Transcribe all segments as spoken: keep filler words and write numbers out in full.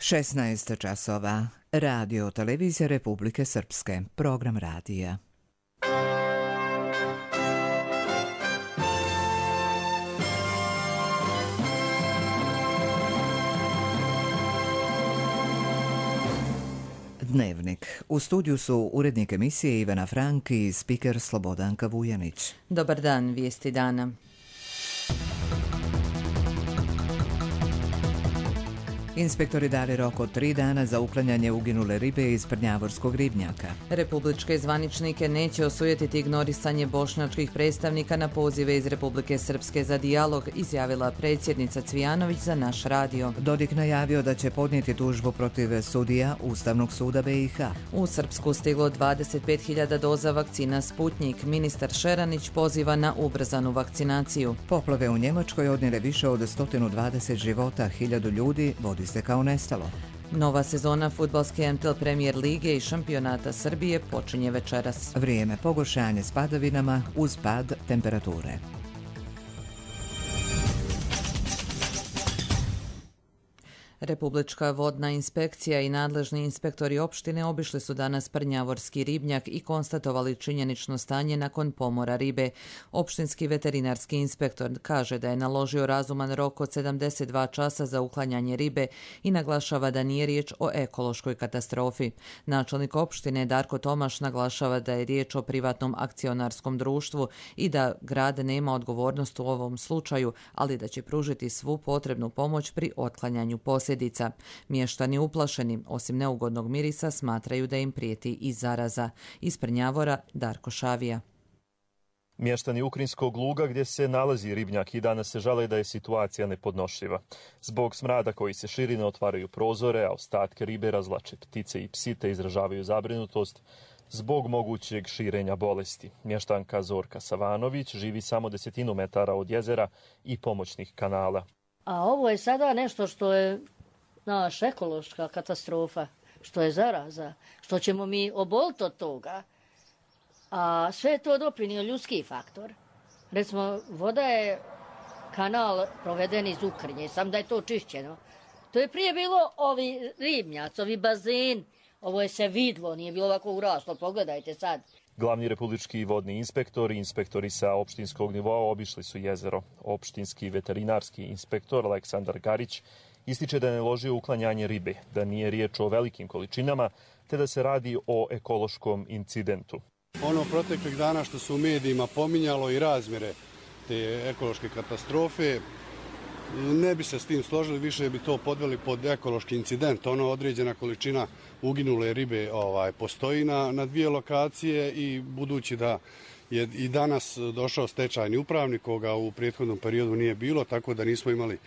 šesnaest časova. Radio Televizija Republike Srpske. Program radija. Dnevnik. U studiju su urednik emisije Ivana Frank i spiker Slobodanka Vujanić. Dobar dan, vijesti dana. Inspektori dali rok od tri dana za uklanjanje uginule ribe iz prnjavorskog ribnjaka. Republičke zvaničnike neće osujetiti ignorisanje bošnjačkih predstavnika na pozive iz Republike Srpske za dijalog, izjavila predsjednica Cvijanović za naš radio. Dodik najavio da će podnijeti tužbu protiv sudija Ustavnog suda B i H. U Srpsku stiglo dvadeset pet hiljada doza vakcina Sputnjik. Ministar Šeranić poziva na ubrzanu vakcinaciju. Poplave u Njemačkoj odnijele više od sto dvadeset života, hiljadu ljudi vodi se kao nestalo. Nova sezona fudbalske M T L Premier lige i šampionata Srbije počinje večeras. Vrijeme pogoršanje s padavinama uz pad temperature. Republička vodna inspekcija i nadležni inspektori opštine obišli su danas prnjavorski ribnjak i konstatovali činjenično stanje nakon pomora ribe. Opštinski veterinarski inspektor kaže da je naložio razuman rok od sedamdeset dva časa za uklanjanje ribe i naglašava da nije riječ o ekološkoj katastrofi. Načelnik opštine Darko Tomaš naglašava da je riječ o privatnom akcionarskom društvu i da grad nema odgovornost u ovom slučaju, ali da će pružiti svu potrebnu pomoć pri otklanjanju posljedica. Mještani uplašeni, osim neugodnog mirisa, smatraju da im prijeti i zaraza. Iz Prnjavora Darko Šavija. Mještani Ukrinskog luga gdje se nalazi ribnjak i danas se žale da je situacija nepodnošljiva. Zbog smrada koji se širi ne otvaraju prozore, a ostatke ribe razvlače ptice i psi te izražavaju zabrinutost zbog mogućeg širenja bolesti. Mještanka Zorka Savanović živi samo desetinu metara od jezera i pomoćnih kanala. A ovo je sada nešto što je naš ekološka katastrofa, što je zaraza, što ćemo mi oboliti od toga. A sve je to doprinio ljudski faktor. Recimo, voda je kanal proveden iz Ukrinje, sam da je to čišćeno. To je prije bilo ovi ribnjac, ovi bazen, ovo je se vidlo, nije bilo ovako uraslo, pogledajte sad. Glavni republički vodni inspektor i inspektori sa opštinskog nivoa obišli su jezero. Opštinski veterinarski inspektor Aleksandar Garić ističe da je naložio uklanjanje ribe, da nije riječ o velikim količinama, te da se radi o ekološkom incidentu. Ono proteklih dana što se u medijima pominjalo i razmjere te ekološke katastrofe, ne bi se s tim složili, više bi to podveli pod ekološki incident. Ono određena količina uginule ribe ovaj, postoji na, na dvije lokacije i budući da je i danas došao stečajni upravnik koga u prethodnom periodu nije bilo, tako da nismo imali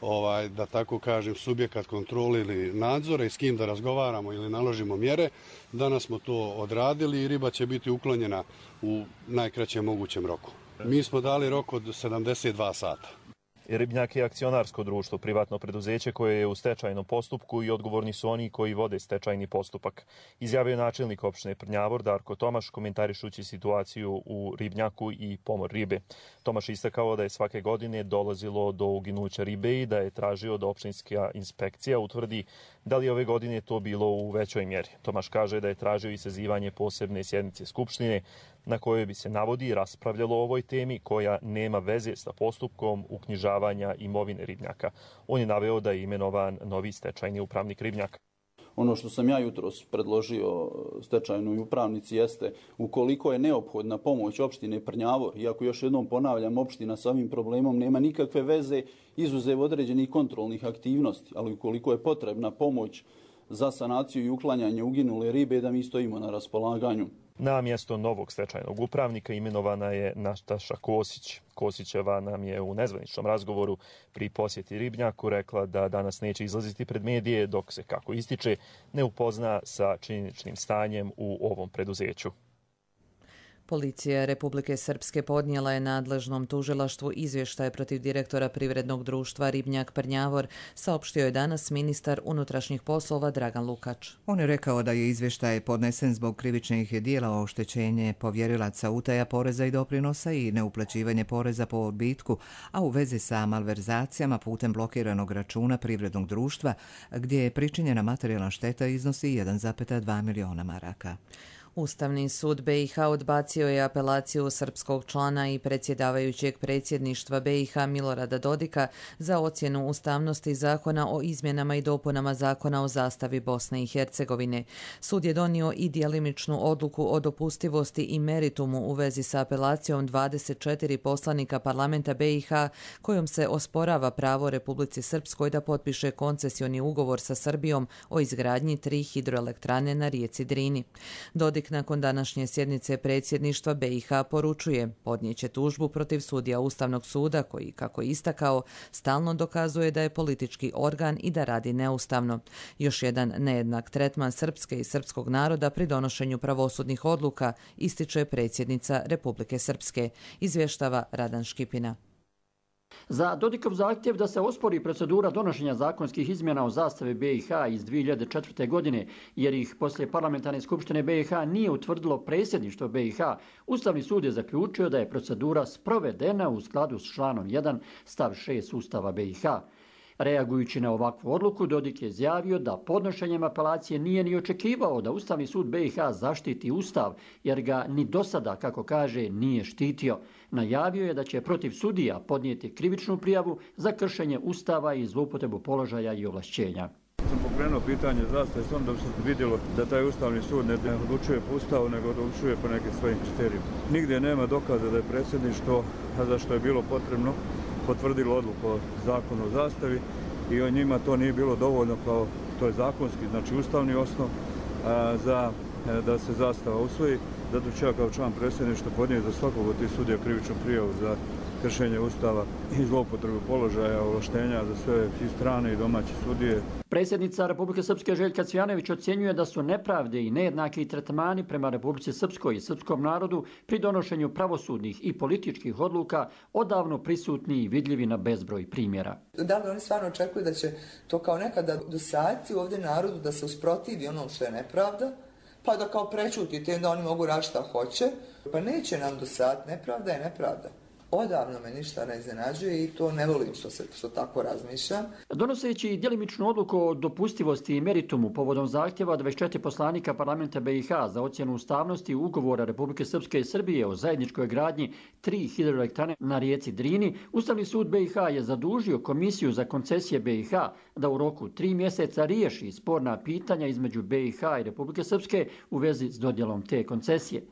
ovaj, da tako kažem subjekat kontrole ili nadzora i s kim da razgovaramo ili naložimo mjere. Danas smo to odradili i riba će biti uklonjena u najkraćem mogućem roku. Mi smo dali rok od sedamdeset dva sata. Ribnjak je akcionarsko društvo, privatno preduzeće koje je u stečajnom postupku i odgovorni su oni koji vode stečajni postupak. Izjavio je načelnik opštine Prnjavor Darko Tomaš komentarišući situaciju u ribnjaku i pomor ribe. Tomaš istakao da je svake godine dolazilo do uginuća ribe i da je tražio da opštinska inspekcija utvrdi da li ove godine to bilo u većoj mjeri. Tomaš kaže da je tražio i sazivanje posebne sjednice Skupštine na kojoj bi se navodi i raspravljalo o ovoj temi koja nema veze sa postupkom uknjižavanja imovine ribnjaka. On je naveo da je imenovan novi stečajni upravnik ribnjaka. Ono što sam ja jutros predložio stečajnoj upravnici jeste ukoliko je neophodna pomoć opštine Prnjavor, iako još jednom ponavljam, opština sa ovim problemom nema nikakve veze izuzev određenih kontrolnih aktivnosti, ali ukoliko je potrebna pomoć za sanaciju i uklanjanje uginule ribe, da mi stojimo na raspolaganju. Na mjesto novog stečajnog upravnika imenovana je Nataša Kosić. Kosićeva nam je u nezvaničnom razgovoru pri posjeti ribnjaku rekla da danas neće izlaziti pred medije dok se, kako ističe, ne upozna sa činjeničnim stanjem u ovom preduzeću. Policija Republike Srpske podnijela je nadležnom tužilaštvu izvještaj protiv direktora privrednog društva Ribnjak Prnjavor, saopštio je danas ministar unutrašnjih poslova Dragan Lukač. On je rekao da je izvještaj podnesen zbog krivičnih dijela o oštećenje povjerilaca, utaja poreza i doprinosa i neuplaćivanje poreza po odbitku, a u vezi sa malverzacijama putem blokiranog računa privrednog društva, gdje je pričinjena materijalna šteta iznosi jedan zarez dva miliona maraka. Ustavni sud B i H odbacio je apelaciju srpskog člana i predsjedavajućeg predsjedništva B i H Milorada Dodika za ocjenu ustavnosti zakona o izmjenama i dopunama zakona o zastavi Bosne i Hercegovine. Sud je donio i djelimičnu odluku o dopustivosti i meritumu u vezi sa apelacijom dvadeset četiri poslanika parlamenta B i H kojom se osporava pravo Republici Srpskoj da potpiše koncesioni ugovor sa Srbijom o izgradnji tri hidroelektrane na rijeci Drini. Dodik nakon današnje sjednice predsjedništva B i H poručuje podnijeće tužbu protiv sudija Ustavnog suda koji, kako je istakao, stalno dokazuje da je politički organ i da radi neustavno. Još jedan nejednak tretman srpske i srpskog naroda pri donošenju pravosudnih odluka, ističe predsjednica Republike Srpske, izvještava Radan Škipina. Za Dodikov zahtjev da se ospori procedura donošenja zakonskih izmjena o zastavi B i H iz dvije hiljade četvrte. godine, jer ih poslije parlamentarne skupštine B i H nije utvrdilo predsjedništvo B i H, Ustavni sud je zaključio da je procedura sprovedena u skladu s članom jedan stav šest Ustava B i H. Reagujući na ovakvu odluku, Dodik je izjavio da podnošenjem apelacije nije ni očekivao da Ustavni sud B i H zaštiti Ustav, jer ga ni do sada, kako kaže, nije štitio. Najavio je da će protiv sudija podnijeti krivičnu prijavu za kršenje Ustava i zloupotrebu položaja i ovlašćenja. Sam pokrenuo pitanje zastave s onda bi se vidjelo da taj Ustavni sud ne odlučuje po Ustavu, nego odlučuje po nekim svojim kriterijima. Nigdje nema dokaza da je predsjedništvo, za što je bilo potrebno, potvrdilo odluku o zakonu o zastavi i o njima to nije bilo dovoljno kao to je zakonski, znači ustavni osnov a, za a, da se zastava usvoji. Zato ću ja kao član predsjedništva podnijeti za svakog od tih sudija krivičnu prijavu za kršenje Ustava i zloupotrebu položaja, ovlaštenja za sve i strane i domaće sudije. Predsjednica Republike Srpske Željka Cvijanović ocjenjuje da su nepravde i nejednaki tretmani prema Republici Srpskoj i srpskom narodu pri donošenju pravosudnih i političkih odluka odavno prisutni i vidljivi na bezbroj primjera. Da li oni stvarno očekuju da će to kao nekada dosaditi ovdje narodu da se usprotivi onom što je nepravda, pa da kao prečutite da oni mogu raditi šta hoće? Pa neće nam dosaditi, nepravda je nepravda. Odavno me ništa ne iznenađuje i to ne volim što se što tako razmišljam. Donoseći djelimičnu odluku o dopustivosti i meritumu povodom zahtjeva dvadeset četiri poslanika parlamenta B i H za ocjenu ustavnosti ugovora Republike Srpske i Srbije o zajedničkoj gradnji tri hidroelektrane na rijeci Drini, Ustavni sud B i H je zadužio Komisiju za koncesije B i H da u roku tri mjeseca riješi sporna pitanja između B i H i Republike Srpske u vezi s dodjelom te koncesije.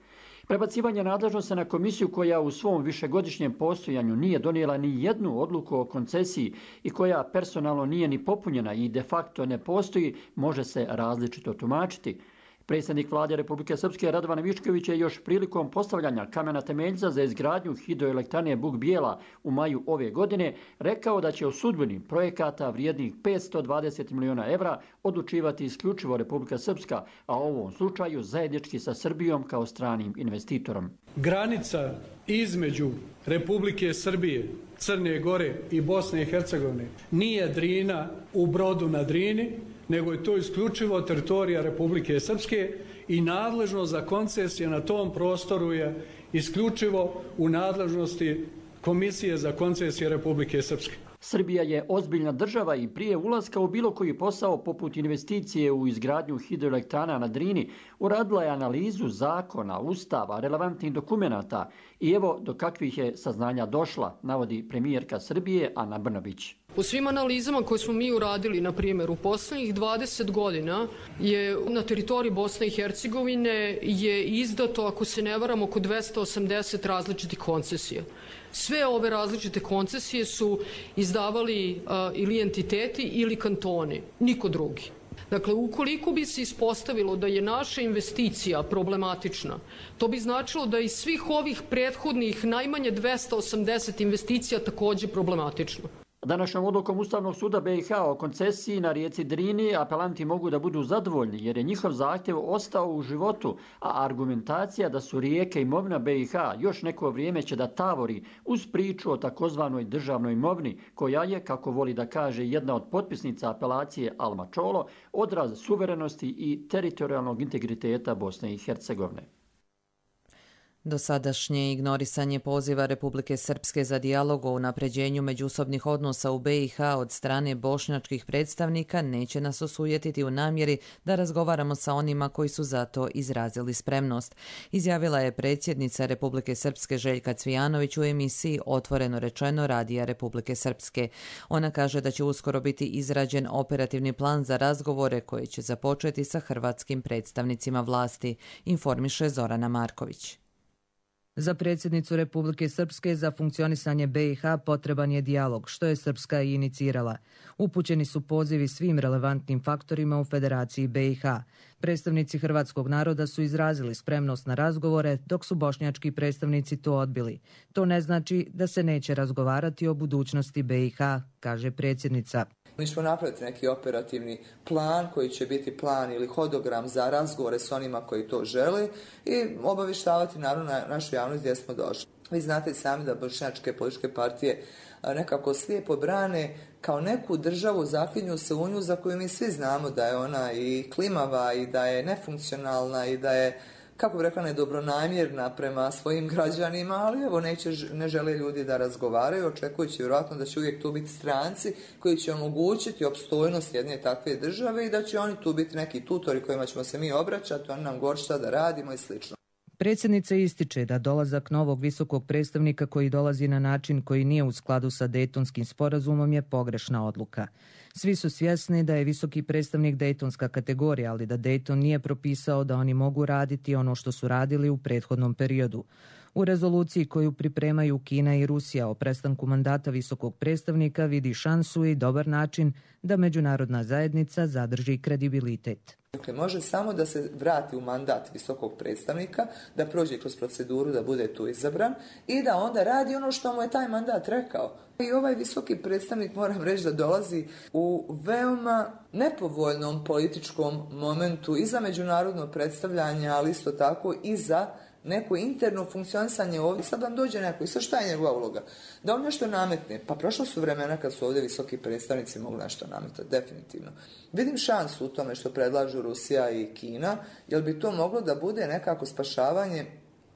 Prebacivanje nadležnosti na komisiju koja u svom višegodišnjem postojanju nije donijela ni jednu odluku o koncesiji i koja personalno nije ni popunjena i de facto ne postoji, može se različito tumačiti. Predsjednik vlade Republike Srpske Radovan Višković je još prilikom postavljanja kamena temeljca za izgradnju hidroelektrane Buk Bijela u maju ove godine rekao da će o sudbini projekata vrijednih petsto dvadeset miliona evra odlučivati isključivo Republika Srpska, a u ovom slučaju zajednički sa Srbijom kao stranim investitorom. Granica između Republike Srbije, Crne Gore i Bosne i Hercegovine nije Drina u Brodu na Drini, nego je to isključivo teritorija Republike Srpske i nadležnost za koncesije na tom prostoru je isključivo u nadležnosti Komisije za koncesije Republike Srpske. Srbija je ozbiljna država i prije ulaska u bilo koji posao poput investicije u izgradnju hidroelektrana na Drini uradila je analizu zakona, ustava, relevantnih dokumenata i evo do kakvih je saznanja došla, navodi premijerka Srbije Ana Brnabić. U svim analizama koje smo mi uradili, na primjer, u posljednjih dvadeset godina je na teritoriji Bosne i Hercegovine je izdato, ako se ne varam, oko dvesta osamdeset različitih koncesija. Sve ove različite koncesije su izdavali uh, ili entiteti ili kantoni, niko drugi. Dakle, ukoliko bi se ispostavilo da je naša investicija problematična, to bi značilo da iz svih ovih prethodnih najmanje dvesta osamdeset investicija također problematično. Današnjom odlukom Ustavnog suda B i H o koncesiji na rijeci Drini apelanti mogu da budu zadovoljni jer je njihov zahtjev ostao u životu, a argumentacija da su rijeke imovina B i H još neko vrijeme će da tavori uz priču o takozvanoj državnoj imovini, koja je, kako voli da kaže jedna od potpisnica apelacije Alma Čolo, odraz suverenosti i teritorijalnog integriteta Bosne i Hercegovine. Dosadašnje ignorisanje poziva Republike Srpske za dijalog o unapređenju međusobnih odnosa u B i H od strane bošnjačkih predstavnika neće nas osujetiti u namjeri da razgovaramo sa onima koji su za to izrazili spremnost, izjavila je predsjednica Republike Srpske Željka Cvijanović u emisiji Otvoreno rečeno Radija Republike Srpske. Ona kaže da će uskoro biti izrađen operativni plan za razgovore koji će započeti sa hrvatskim predstavnicima vlasti, informiše Zorana Marković. Za predsjednicu Republike Srpske za funkcionisanje B i H potreban je dijalog, što je Srpska i inicirala. Upućeni su pozivi svim relevantnim faktorima u Federaciji B i H. Predstavnici hrvatskog naroda su izrazili spremnost na razgovore, dok su bošnjački predstavnici to odbili. To ne znači da se neće razgovarati o budućnosti B i H, kaže predsjednica. Mi ćemo napraviti neki operativni plan koji će biti plan ili hodogram za razgovore s onima koji to žele i obavištavati naravno našu javnost gdje smo došli. Vi znate sami da bošnjačke političke partije nekako slijepo brane kao neku državu, zaklinju se u nju za koju mi svi znamo da je ona i klimava i da je nefunkcionalna i da je, kako bi rekla, nedobronamjerna prema svojim građanima, ali evo neće, ne žele ljudi da razgovaraju, očekujući vjerojatno da će uvijek tu biti stranci koji će omogućiti opstojnost jedne takve države i da će oni tu biti neki tutori kojima ćemo se mi obraćati, oni nam govorit šta da radimo i slično. Predsjednica ističe da dolazak novog visokog predstavnika koji dolazi na način koji nije u skladu sa Dejtonskim sporazumom je pogrešna odluka. Svi su svjesni da je visoki predstavnik Dejtonska kategorija, ali da Dejton nije propisao da oni mogu raditi ono što su radili u prethodnom periodu. U rezoluciji koju pripremaju Kina i Rusija o prestanku mandata visokog predstavnika vidi šansu i dobar način da međunarodna zajednica zadrži kredibilitet. Dakle, može samo da se vrati u mandat visokog predstavnika, da prođe kroz proceduru, da bude tu izabran i da onda radi ono što mu je taj mandat rekao. I ovaj visoki predstavnik, moram reći, da dolazi u veoma nepovoljnom političkom momentu i za međunarodno predstavljanje, ali isto tako i za neko interno funkcionisanje ovdje. Sad vam dođe neko i sad šta je njegova uloga? Da on nešto nametne. Pa prošlo su vremena kad su ovdje visoki predstavnici mogli nešto nametati, definitivno. Vidim šansu u tome što predlažu Rusija i Kina, jer bi to moglo da bude nekako spašavanje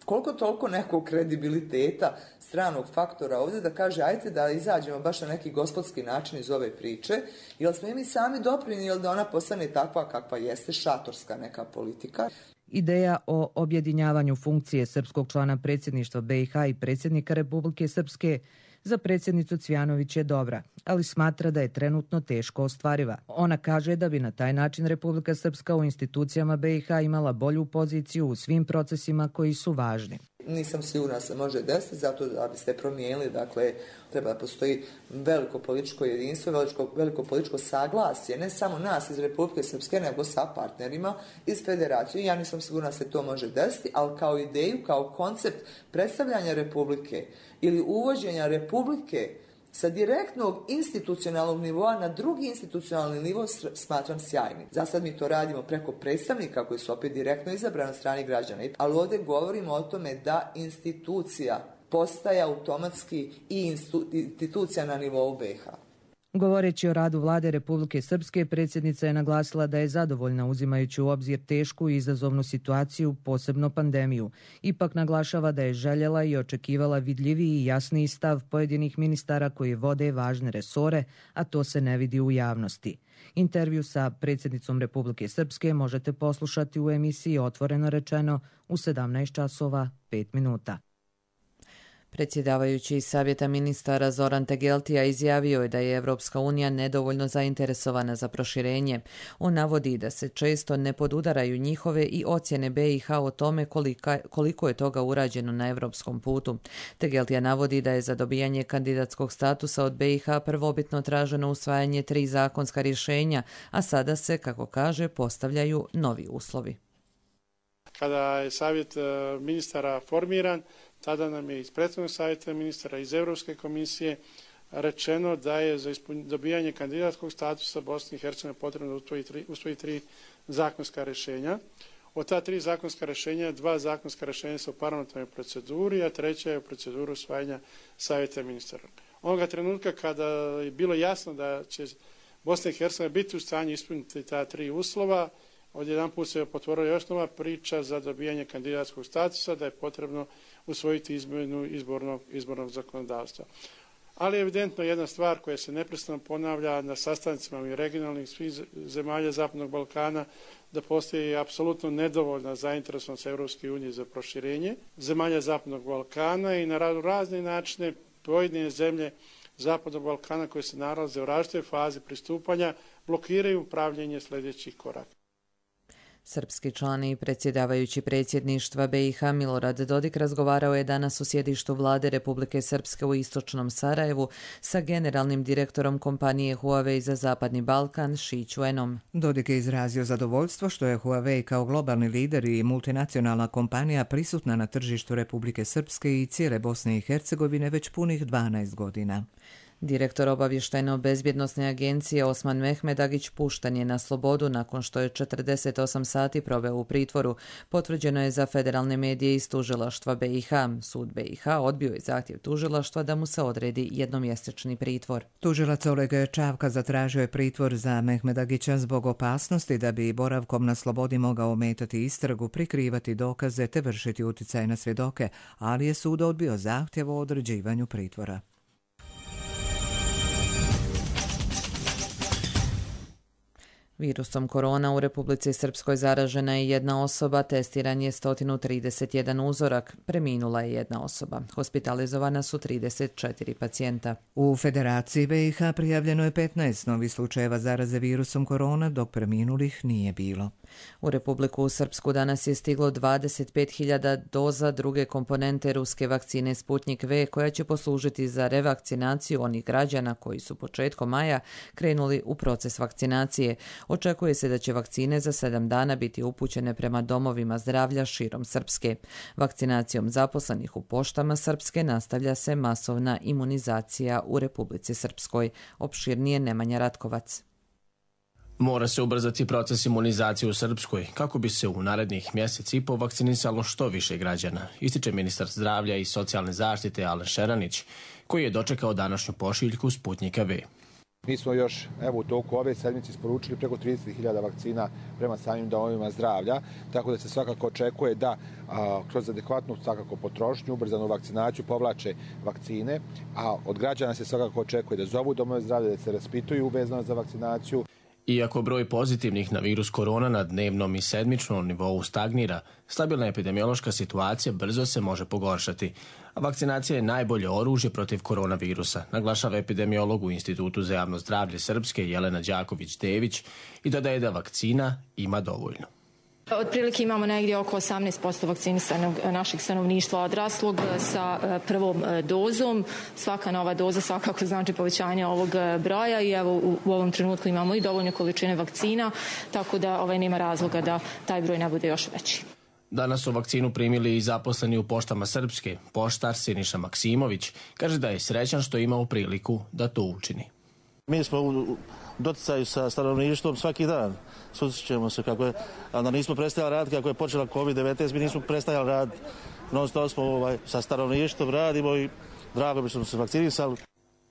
koliko toliko nekog kredibiliteta stranog faktora ovdje da kaže ajte da izađemo baš na neki gospodski način iz ove priče, jer smo i mi sami doprinijeli da ona postane takva kakva jeste, šatorska neka politika. Ideja o objedinjavanju funkcije srpskog člana predsjedništva B i H i predsjednika Republike Srpske za predsjednicu Cvijanović je dobra, ali smatra da je trenutno teško ostvariva. Ona kaže da bi na taj način Republika Srpska u institucijama B i H imala bolju poziciju u svim procesima koji su važni. Nisam sigurna se može desiti, zato da bi se promijenili, dakle, treba da postoji veliko političko jedinstvo, veliko, veliko političko saglasje, ne samo nas iz Republike Srpske, nego sa partnerima iz federacije. Ja nisam sigurna se to može desiti, ali kao ideju, kao koncept predstavljanja Republike ili uvođenja Republike sa direktnog institucionalnog nivoa na drugi institucionalni nivo smatram sjajnim. Za sad mi to radimo preko predstavnika koji su opet direktno izabrani od strane građana. Ali ovdje govorimo o tome da institucija postaje automatski i institucija na nivou B i H. Govoreći o radu vlade Republike Srpske, predsjednica je naglasila da je zadovoljna uzimajući u obzir tešku i izazovnu situaciju, posebno pandemiju. Ipak naglašava da je željela i očekivala vidljiviji i jasniji stav pojedinih ministara koji vode važne resore, a to se ne vidi u javnosti. Intervju sa predsjednicom Republike Srpske možete poslušati u emisiji Otvoreno rečeno u sedamnaest časova pet minuta. Predsjedavajući iz Savjeta ministara Zoran Tegeltija izjavio je da je Evropska unija nedovoljno zainteresovana za proširenje. On navodi da se često ne podudaraju njihove i ocjene B i H o tome kolika, koliko je toga urađeno na evropskom putu. Tegeltija navodi da je za dobijanje kandidatskog statusa od B i H prvobitno traženo usvajanje tri zakonska rješenja, a sada se, kako kaže, postavljaju novi uslovi. Kada je Savjet ministara formiran, tada nam je iz prethodnog savjeta ministara, iz Europske komisije rečeno da je za dobijanje kandidatskog statusa Bosne i Hercegovine potrebno usvojiti, usvojiti tri zakonska rješenja. Od ta tri zakonska rješenja, dva zakonska rješenja su u parlamentarnoj proceduri, a treća je u proceduru usvajanja savjeta ministara. Onoga trenutka kada je bilo jasno da će Bosna i Hercegovina biti u stanju ispuniti ta tri uslova, odjedanput se potvorila još nova priča za dobijanje kandidatskog statusa, da je potrebno usvojiti izmjenu izbornog, izbornog zakonodavstva. Ali evidentno jedna stvar koja se neprestano ponavlja na sastancima i regionalnih svih zemalja Zapadnog Balkana, da postoji apsolutno nedovoljna zainteresovanost Europske unije za proširenje zemalja Zapadnog Balkana i na razne načine pojedine zemlje Zapadnog Balkana koje se nalaze u različitoj fazi pristupanja blokiraju pravljenje sljedećih koraka. Srpski član i predsjedavajući predsjedništva B i H Milorad Dodik razgovarao je danas u sjedištu vlade Republike Srpske u istočnom Sarajevu sa generalnim direktorom kompanije Huawei za Zapadni Balkan Shi Chuenom. Dodik je izrazio zadovoljstvo što je Huawei kao globalni lider i multinacionalna kompanija prisutna na tržištu Republike Srpske i cijele Bosne i Hercegovine već punih dvanaest godina. Direktor obavještajno-bezbjednosne agencije Osman Mehmedagić pušten je na slobodu nakon što je četrdeset osam sati proveo u pritvoru. Potvrđeno je za federalne medije iz tužilaštva B i H. Sud B i H odbio je zahtjev tužilaštva da mu se odredi jednomjesečni pritvor. Tužilac Oleg Čavka zatražio je pritvor za Mehmedagića zbog opasnosti da bi boravkom na slobodi mogao ometati istragu, prikrivati dokaze te vršiti utjecaj na svjedoke, ali je sud odbio zahtjev o određivanju pritvora. Virusom korona u Republici Srpskoj zaražena je jedna osoba, testiran je sto trideset jedan uzorak, preminula je jedna osoba. Hospitalizovana su trideset četiri pacijenta. U Federaciji B i H prijavljeno je petnaest novih slučajeva zaraze virusom korona, dok preminulih nije bilo. U Republiku Srpsku danas je stiglo dvadeset pet hiljada doza druge komponente ruske vakcine Sputnik V, koja će poslužiti za revakcinaciju onih građana koji su početkom maja krenuli u proces vakcinacije. Očekuje se da će vakcine za sedam dana biti upućene prema domovima zdravlja širom Srpske. Vakcinacijom zaposlenih u poštama Srpske nastavlja se masovna imunizacija u Republici Srpskoj. Opširnije Nemanja Ratkovac. Mora se ubrzati proces imunizacije u Srpskoj kako bi se u narednih mjesec i po vakcinisalo što više građana, ističe ministar zdravlja i socijalne zaštite Alen Šeranić, koji je dočekao današnju pošiljku Sputnika V. Mi smo još evo, u toku ove sedmice isporučili preko trideset hiljada vakcina prema samim domovima zdravlja, tako da se svakako očekuje da a, kroz adekvatnu svakako potrošnju, ubrzanu vakcinaciju povlače vakcine, a od građana se svakako očekuje da zovu domove zdravlja, da se raspituju vezano za vakcinaciju. Iako broj pozitivnih na virus korona na dnevnom i sedmičnom nivou stagnira, stabilna epidemiološka situacija brzo se može pogoršati. A vakcinacija je najbolje oružje protiv koronavirusa, naglašava epidemiolog u Institutu za javno zdravlje Srpske Jelena Đaković-Dević i dodaje da vakcina ima dovoljno. Otprilike imamo negdje oko osamnaest posto vakcinisanog našeg stanovništva odraslog sa prvom dozom. Svaka nova doza svakako znači povećanje ovog broja i evo u, u ovom trenutku imamo i dovoljne količine vakcina, tako da ovaj nema razloga da taj broj ne bude još veći. Danas su vakcinu primili i zaposleni u poštama Srpske. Poštar Siniša Maksimović kaže da je srećan što je imao priliku da to učini. Mi smo u doticaju sa stanovništvom svaki dan. Susrećemo se kako je, a da nismo prestajali raditi kako je počela kovid devetnaest, mi nismo prestajali raditi. Non stop smo ovaj, sa stanovništvom radimo i drago bi smo se vakcinisali.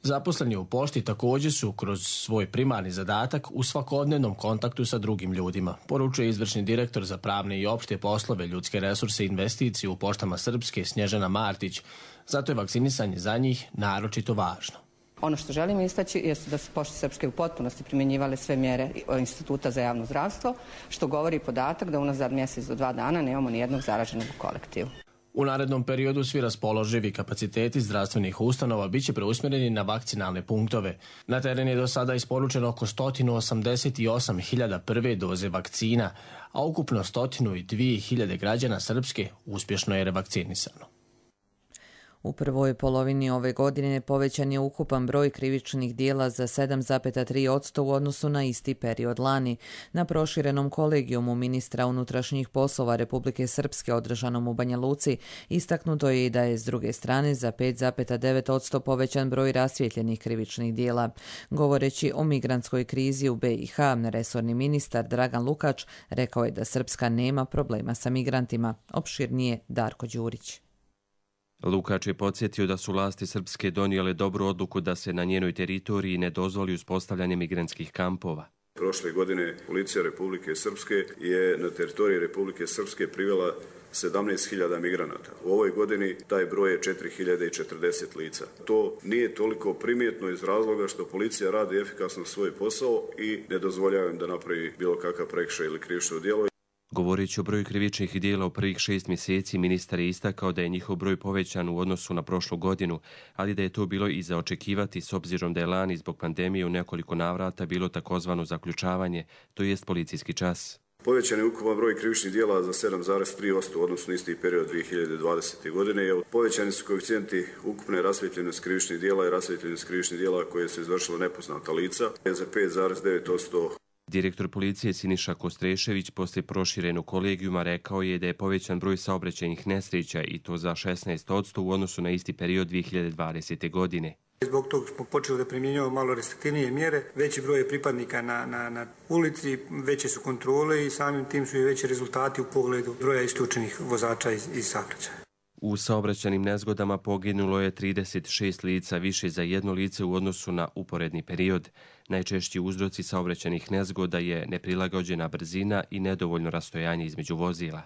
Zaposleni u pošti također su kroz svoj primarni zadatak u svakodnevnom kontaktu sa drugim ljudima, poručuje izvršni direktor za pravne i opšte poslove, ljudske resurse i investicije u poštama Srpske Snježana Martić. Zato je vakcinisanje za njih naročito važno. Ono što želim istaći je da su pošte Srpske u potpunosti primjenjivale sve mjere Instituta za javno zdravstvo, što govori podatak da unazad mjesec do dva dana nemamo ni jednog zaraženog u kolektivu. U narednom periodu svi raspoloživi kapaciteti zdravstvenih ustanova biće preusmjereni na vakcinalne punktove. Na teren je do sada isporučeno oko sto osamdeset osam hiljada prve doze vakcina, a ukupno sto dva hiljade građana Srpske uspješno je revakcinisano. U prvoj polovini ove godine povećan je ukupan broj krivičnih dijela za sedam zarez tri posto u odnosu na isti period lani. Na proširenom kolegijumu ministra unutrašnjih poslova Republike Srpske održanom u Banja Luci istaknuto je i da je s druge strane za pet zarez devet posto povećan broj rasvijetljenih krivičnih dijela. Govoreći o migrantskoj krizi u B i H, resorni ministar Dragan Lukač rekao je da Srpska nema problema sa migrantima. Opširnije Darko Đurić. Lukač je podsjetio da su vlasti Srpske donijele dobru odluku da se na njenoj teritoriji ne dozvoli uspostavljanje migrantskih kampova. Prošle godine policija Republike Srpske je na teritoriji Republike Srpske privela sedamnaest hiljada migranata. U ovoj godini taj broj je četiri hiljade četrdeset lica. To nije toliko primjetno iz razloga što policija radi efikasno svoj posao i ne dozvoljava im da napravi bilo kakav prekršaj ili krivično djelo. Govoreći o broju krivičnih dijela u prvih šest mjeseci, ministar je istakao da je njihov broj povećan u odnosu na prošlu godinu, ali da je to bilo i za očekivati s obzirom da je lani zbog pandemije u nekoliko navrata bilo takozvano zaključavanje, to jest policijski čas. Povećan je ukupan broj krivičnih dijela za sedam zarez tri posto u odnosu na isti period dvije hiljade dvadesete. godine. Povećani su koeficijenti ukupne rasvijetljenosti krivičnih dijela i rasvijetljenosti krivičnih dijela koje su izvršila nepoznata lica za pet zarez devet posto. Direktor policije Siniša Kostrešević poslije proširenog kolegijuma rekao je da je povećan broj saobraćajnih nesreća i to za šesnaest posto u odnosu na isti period dvije hiljade dvadesete. godine. Zbog toga smo počeli da primjenjujemo malo restriktivnije mjere, veći broj je pripadnika na, na, na ulici, veće su kontrole i samim tim su i veći rezultati u pogledu broja isključenih vozača iz, iz saobraćaja. U saobraćajnim nezgodama poginulo je trideset šest lica, više za jedno lice u odnosu na uporedni period. Najčešći uzroci saobraćajnih nezgoda je neprilagođena brzina i nedovoljno rastojanje između vozila.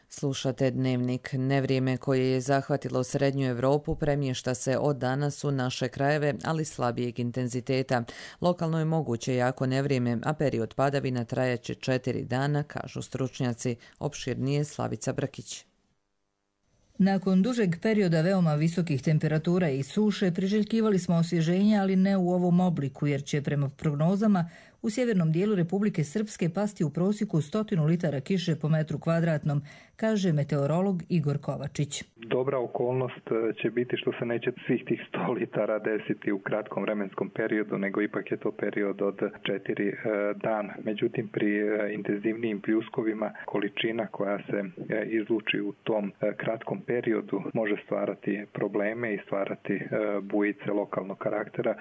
Slušate Dnevnik. Nevrijeme koje je zahvatilo Srednju Evropu premješta se od danas u naše krajeve, ali slabijeg intenziteta. Lokalno je moguće jako nevrijeme, a period padavina trajaće četiri dana, kažu stručnjaci. Opširnije Slavica Brkić. Nakon dužeg perioda veoma visokih temperatura i suše priželjkivali smo osvježenje, ali ne u ovom obliku, jer će prema prognozama u sjevernom dijelu Republike Srpske pasti u prosjeku stotinu litara kiše po metru kvadratnom, kaže meteorolog Igor Kovačić. Dobra okolnost će biti što se neće svih tih sto litara desiti u kratkom vremenskom periodu, nego ipak je to period od četiri dana. Međutim, pri intenzivnijim pljuskovima količina koja se izluči u tom kratkom periodu može stvarati probleme i stvarati bujice lokalnog karaktera,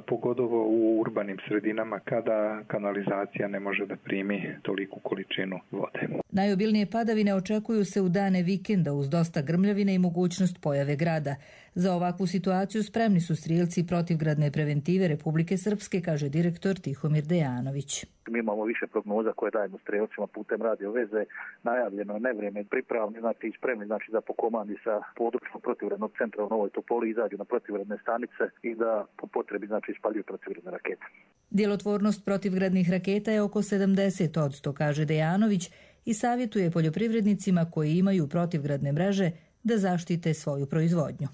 pogotovo u urbanim sredinama kada kanalizacija ne može da primi toliku količinu vode. Najobilnije padavine očekuju se u dane vikenda uz dosta grmljavine i mogućnost pojave grada. Za ovakvu situaciju spremni su strijelci protivgradne preventive Republike Srpske, kaže direktor Tihomir Dejanović. Mi imamo više prognoza koje dajemo strijelcima putem radio veze, najavljeno nevrijeme, pripravni, znači i spremni, znači da po komandi sa područnog protivgradnog centra u Novoj Topoli izađu na protivgradne stanice i da po potrebi znači ispaljuju protivgradne rakete. Djelotvornost protivgradnih raketa je oko sedamdeset posto, kaže Dejanović, i savjetuje poljoprivrednicima koji imaju protivgradne mreže da zaštite svoju proizvodnju.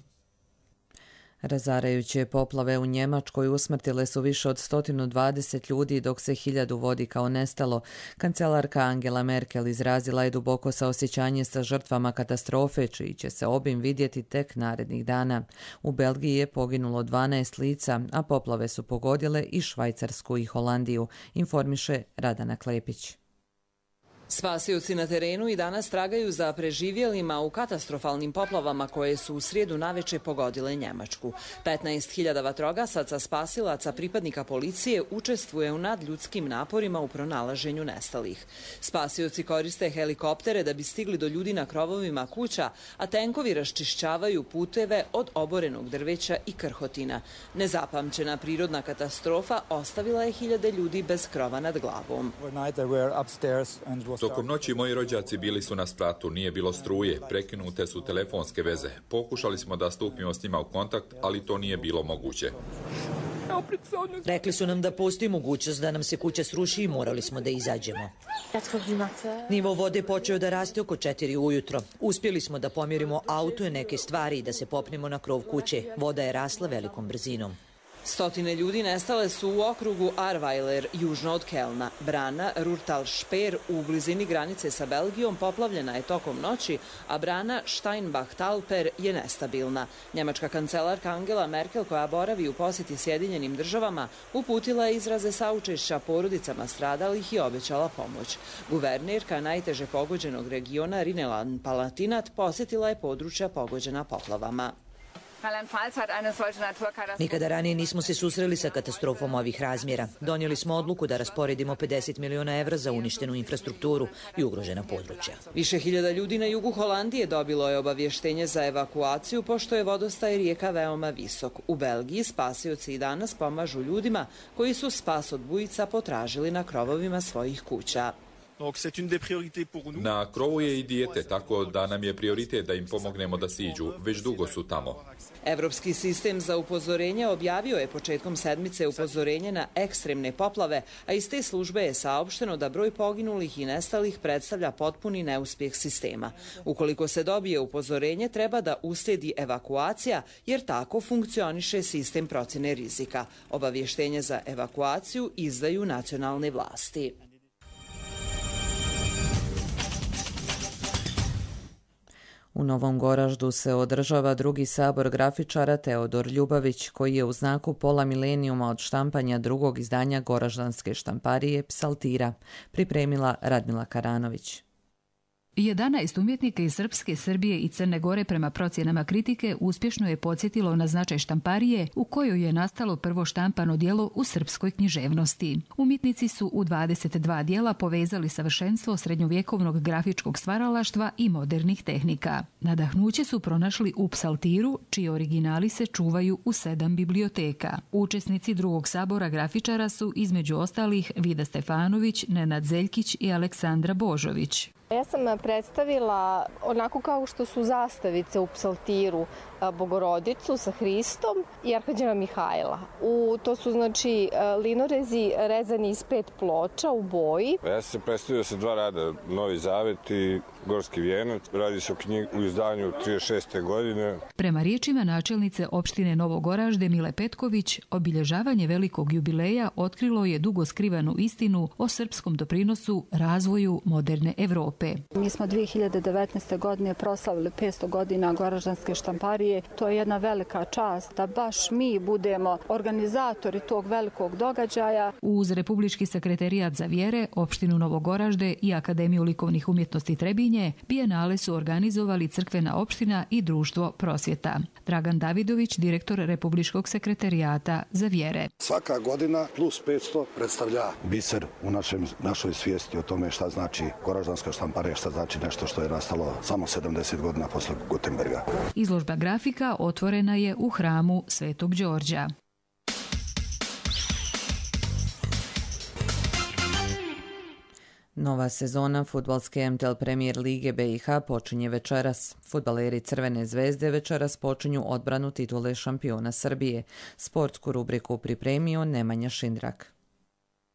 Razarajuće poplave u Njemačkoj usmrtile su više od sto dvadeset ljudi, dok se hiljadu vodi kao nestalo. Kancelarka Angela Merkel izrazila je duboko saosjećanje sa žrtvama katastrofe, čiji će se obim vidjeti tek narednih dana. U Belgiji je poginulo dvanaest lica, a poplave su pogodile i Švajcarsku i Holandiju, informiše Radana Klepić. Spasioci na terenu i danas tragaju za preživjelima u katastrofalnim poplavama koje su u srijedu naveče pogodile Njemačku. petnaest hiljada vatrogasaca, spasilaca, pripadnika policije učestvuje u nadljudskim naporima u pronalaženju nestalih. Spasioci koriste helikoptere da bi stigli do ljudi na krovovima kuća, a tenkovi raščišćavaju puteve od oborenog drveća i krhotina. Nezapamćena prirodna katastrofa ostavila je hiljade ljudi bez krova nad glavom. Tokom noći moji rođaci bili su na spratu, nije bilo struje, prekinute su telefonske veze. Pokušali smo da stupimo s njima u kontakt, ali to nije bilo moguće. Rekli su nam da postoji mogućnost da nam se kuća sruši i morali smo da izađemo. Nivo vode počeo da raste oko četiri ujutro. Uspjeli smo da pomjerimo auto i neke stvari i da se popnemo na krov kuće. Voda je rasla velikom brzinom. Stotine ljudi nestale su u okrugu Arweiler, južno od Kelna. Brana Rurtal-Šper u blizini granice sa Belgijom poplavljena je tokom noći, a brana Steinbach-Talper je nestabilna. Njemačka kancelarka Angela Merkel, koja boravi u posjeti Sjedinjenim državama, uputila je izraze saučešća porodicama stradalih i obećala pomoć. Guvernerka najteže pogođenog regiona Rhineland-Palatinat posjetila je područja pogođena poplavama. Nikada ranije nismo se susreli sa katastrofom ovih razmjera. Donijeli smo odluku da rasporedimo pedeset miliona evra za uništenu infrastrukturu i ugrožena područja. Više hiljada ljudi na jugu Holandije dobilo je obavještenje za evakuaciju pošto je vodostaj rijeka veoma visok. U Belgiji spasioci i danas pomažu ljudima koji su spas od bujica potražili na krovovima svojih kuća. Na krovu je i dijete, tako da nam je prioritet da im pomognemo da siđu. Već dugo su tamo. Evropski sistem za upozorenje objavio je početkom sedmice upozorenje na ekstremne poplave, a iz te službe je saopšteno da broj poginulih i nestalih predstavlja potpuni neuspjeh sistema. Ukoliko se dobije upozorenje, treba da uslijedi evakuacija, jer tako funkcioniše sistem procjene rizika. Obavještenje za evakuaciju izdaju nacionalne vlasti. U Novom Goraždu se održava drugi sabor grafičara Teodor Ljubavić, koji je u znaku pola milenijuma od štampanja drugog izdanja goraždanske štamparije Psaltira, pripremila Radmila Karanović. jedanaest umjetnika iz Srpske, Srbije i Crne Gore prema procjenama kritike uspješno je podsjetilo na značaj štamparije u kojoj je nastalo prvo štampano djelo u srpskoj književnosti. Umjetnici su u dvadeset dva djela povezali savršenstvo srednjovjekovnog grafičkog stvaralaštva i modernih tehnika. Nadahnuće su pronašli u Psaltiru, čiji originali se čuvaju u sedam biblioteka. Učesnici drugog sabora grafičara su između ostalih Vida Stefanović, Nenad Zeljkić i Aleksandra Božović. Ja sam predstavila onako kao što su zastavice u Psaltiru, Bogorodicu sa Hristom i Arhanđela Mihajla. U, to su znači linorezi rezani iz pet ploča u boji. Ja sam se predstavio sa dva rada, Novi Zavet i Gorski vijenac. Radi se o knjigi u izdanju trideset šeste godine. Prema riječima načelnice opštine Novogoražde Mile Petković, obilježavanje velikog jubileja otkrilo je dugo skrivanu istinu o srpskom doprinosu razvoju moderne Evrope. Mi smo dvije hiljade devetnaeste. godine proslavili petsto godina goraždanske štamparije. To je jedna velika čast da baš mi budemo organizatori tog velikog događaja. Uz Republički sekretarijat za vjere, opštinu Novogoražde i Akademiju likovnih umjetnosti Trebinje, bijenale su organizovali Crkvena opština i Društvo prosvjeta. Dragan Davidović, direktor Republičkog sekretarijata za vjere. Svaka godina plus petsto predstavlja biser u našem, našoj svijesti o tome šta znači goraždanska štamparija, šta znači nešto što je nastalo samo sedamdeset godina posle Gutenberga. Izložba grafika otvorena je u hramu Svetog Đorđa. Nova sezona fudbalske M T L Premier Lige B i H počinje večeras. Fudbaleri Crvene zvezde večeras počinju odbranu titule šampiona Srbije. Sportsku rubriku pripremio Nemanja Šindrak.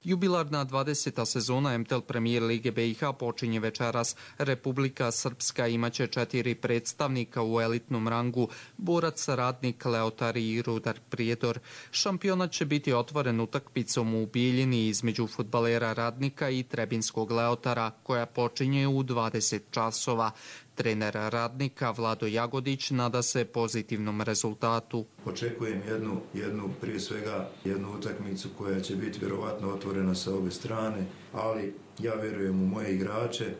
Jubilarna dvadeseta sezona M T L Premier Lige B i H počinje večeras. Republika Srpska imaće četiri predstavnika u elitnom rangu: Borac, Radnik, Leotar i Rudar Prijedor. Šampionat će biti otvoren utakmicom u Bijeljini između fudbalera Radnika i Trebinskog Leotara, koja počinje u dvadeset časova. Trener Radnika Vlado Jagodić nada se pozitivnom rezultatu. Očekujem jednu, jednu, prije svega jednu utakmicu koja će biti vjerovatno otvorena sa obe strane, ali ja vjerujem u moje igrače.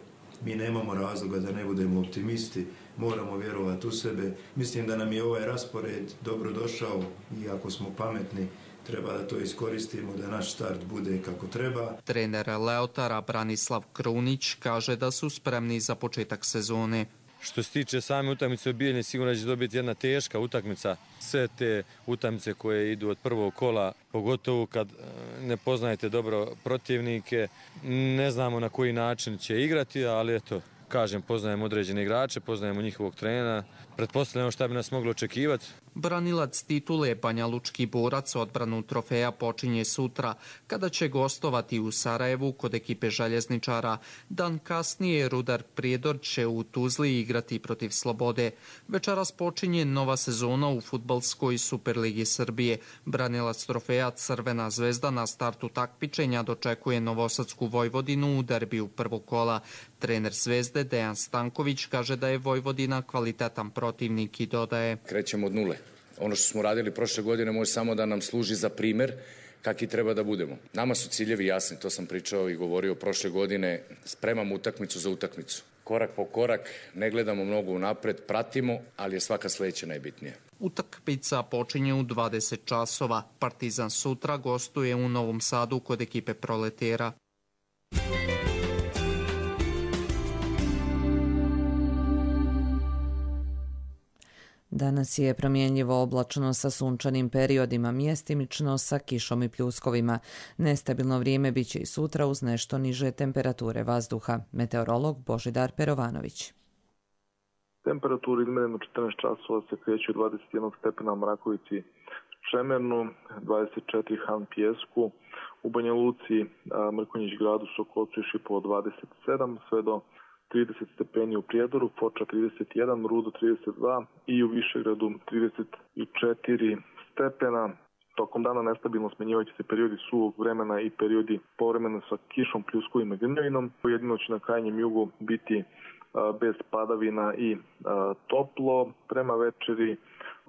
Mi nemamo razloga da ne budemo optimisti, moramo vjerovati u sebe. Mislim da nam je ovaj raspored dobro došao i ako smo pametni, treba da to iskoristimo, da naš start bude kako treba. Trener Leotara Branislav Krunić kaže da su spremni za početak sezone. Što se tiče same utakmice u Bijeljini, sigurno će dobiti jedna teška utakmica. Sve te utakmice koje idu od prvog kola, pogotovo kad ne poznajete dobro protivnike, ne znamo na koji način će igrati, ali eto, kažem, poznajemo određene igrače, poznajemo njihovog trenera. Pretpostavljamo šta bi nas moglo očekivati. Branilac titule Banjalučki borac odbranu trofeja počinje sutra, kada će gostovati u Sarajevu kod ekipe željezničara. Dan kasnije Rudar Prijedor će u Tuzli igrati protiv Slobode. Večeras počinje nova sezona u fudbalskoj Superligi Srbije. Branilac trofeja Crvena zvezda na startu takmičenja dočekuje Novosadsku Vojvodinu u derbiju prvog kola. Trener Zvezde Dejan Stanković kaže da je Vojvodina kvalitetan protivnik i dodaje: Krećemo od nule. Ono što smo radili prošle godine može samo da nam služi za primer kakvi treba da budemo. Nama su ciljevi jasni, to sam pričao i govorio prošle godine, spremamo utakmicu za utakmicu. Korak po korak, ne gledamo mnogo unapred, pratimo, ali je svaka sledeća najbitnija. Utakmica počinje u dvadeset časova. Partizan sutra gostuje u Novom Sadu kod ekipe Proletera. Danas je promjenljivo oblačno sa sunčanim periodima, mjestimično sa kišom i pljuskovima. Nestabilno vrijeme biće i sutra uz nešto niže temperature vazduha. Meteorolog Božidar Perovanović. Temperatura izmerena četrnaest časova se kreće od dvadeset jedan stepena u Mrakovici Šemernu, dvadeset četiri Han Pjesku, u Banja Luci, Mrkonjić gradu, Sokolcu i Šipovo dvadeset sedam, sve do trideset stepeni u Prijedoru, Foča trideset jedan, Rudo trideset dva i u Višegradu trideset četiri stepena. Tokom dana nestabilno smenjivaće se periodi suvog vremena i periodi povremeno sa kišom, pljuskovima i grmljavinom. Jedino će na krajnjem jugu biti a, bez padavina i a, toplo. Prema večeri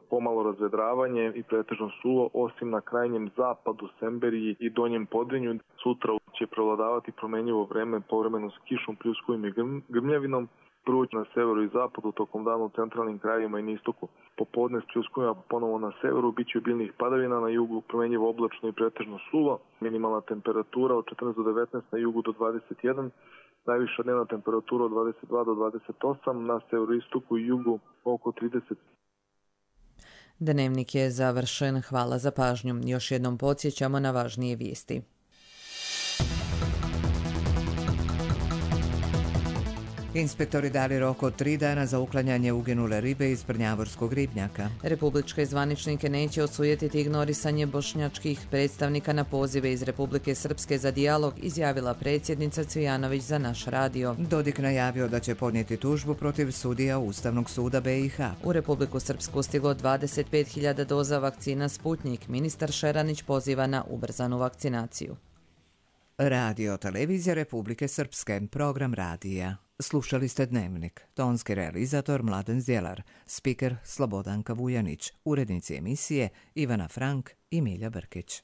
pomalo razvedravanje i pretežno suvo, osim na krajnjem zapadu, Semberiji i donjem Podrinju. Sutra će prevladavati promenljivo vreme povremeno s kišom, pljuskovima i grmljavinom. Prvo na severu i zapadu, tokom dana u centralnim krajevima i na istoku. Popodne s pljuskovima ponovo na severu, bit će obilnih padavina, na jugu promenljivo oblačno i pretežno suvo. Minimalna temperatura od četrnaest do devetnaest, na jugu do dvadeset jedan. Najviša dnevna temperatura od dvadeset dva do dvadeset osam, na severu, istoku i jugu oko trideset. Dnevnik je završen. Hvala za pažnju. Još jednom podsjećamo na važnije vijesti. Inspektori dali rok od tri dana za uklanjanje uginule ribe iz Brnjavorskog ribnjaka. Republičke zvaničnike neće osujetiti ignorisanje bošnjačkih predstavnika na pozive iz Republike Srpske za dijalog, izjavila predsjednica Cvijanović za naš radio. Dodik najavio da će podnijeti tužbu protiv sudija Ustavnog suda B i H. U Republiku Srpsku stiglo dvadeset pet hiljada doza vakcina Sputnjik. Ministar Šeranić poziva na ubrzanu vakcinaciju. Radio Televizija Republike Srpske, program radija. Slušali ste Dnevnik. Tonski realizator Mladen Zdjelar, spiker Slobodanka Vujanić, urednici emisije Ivana Frank i Milja Brkić.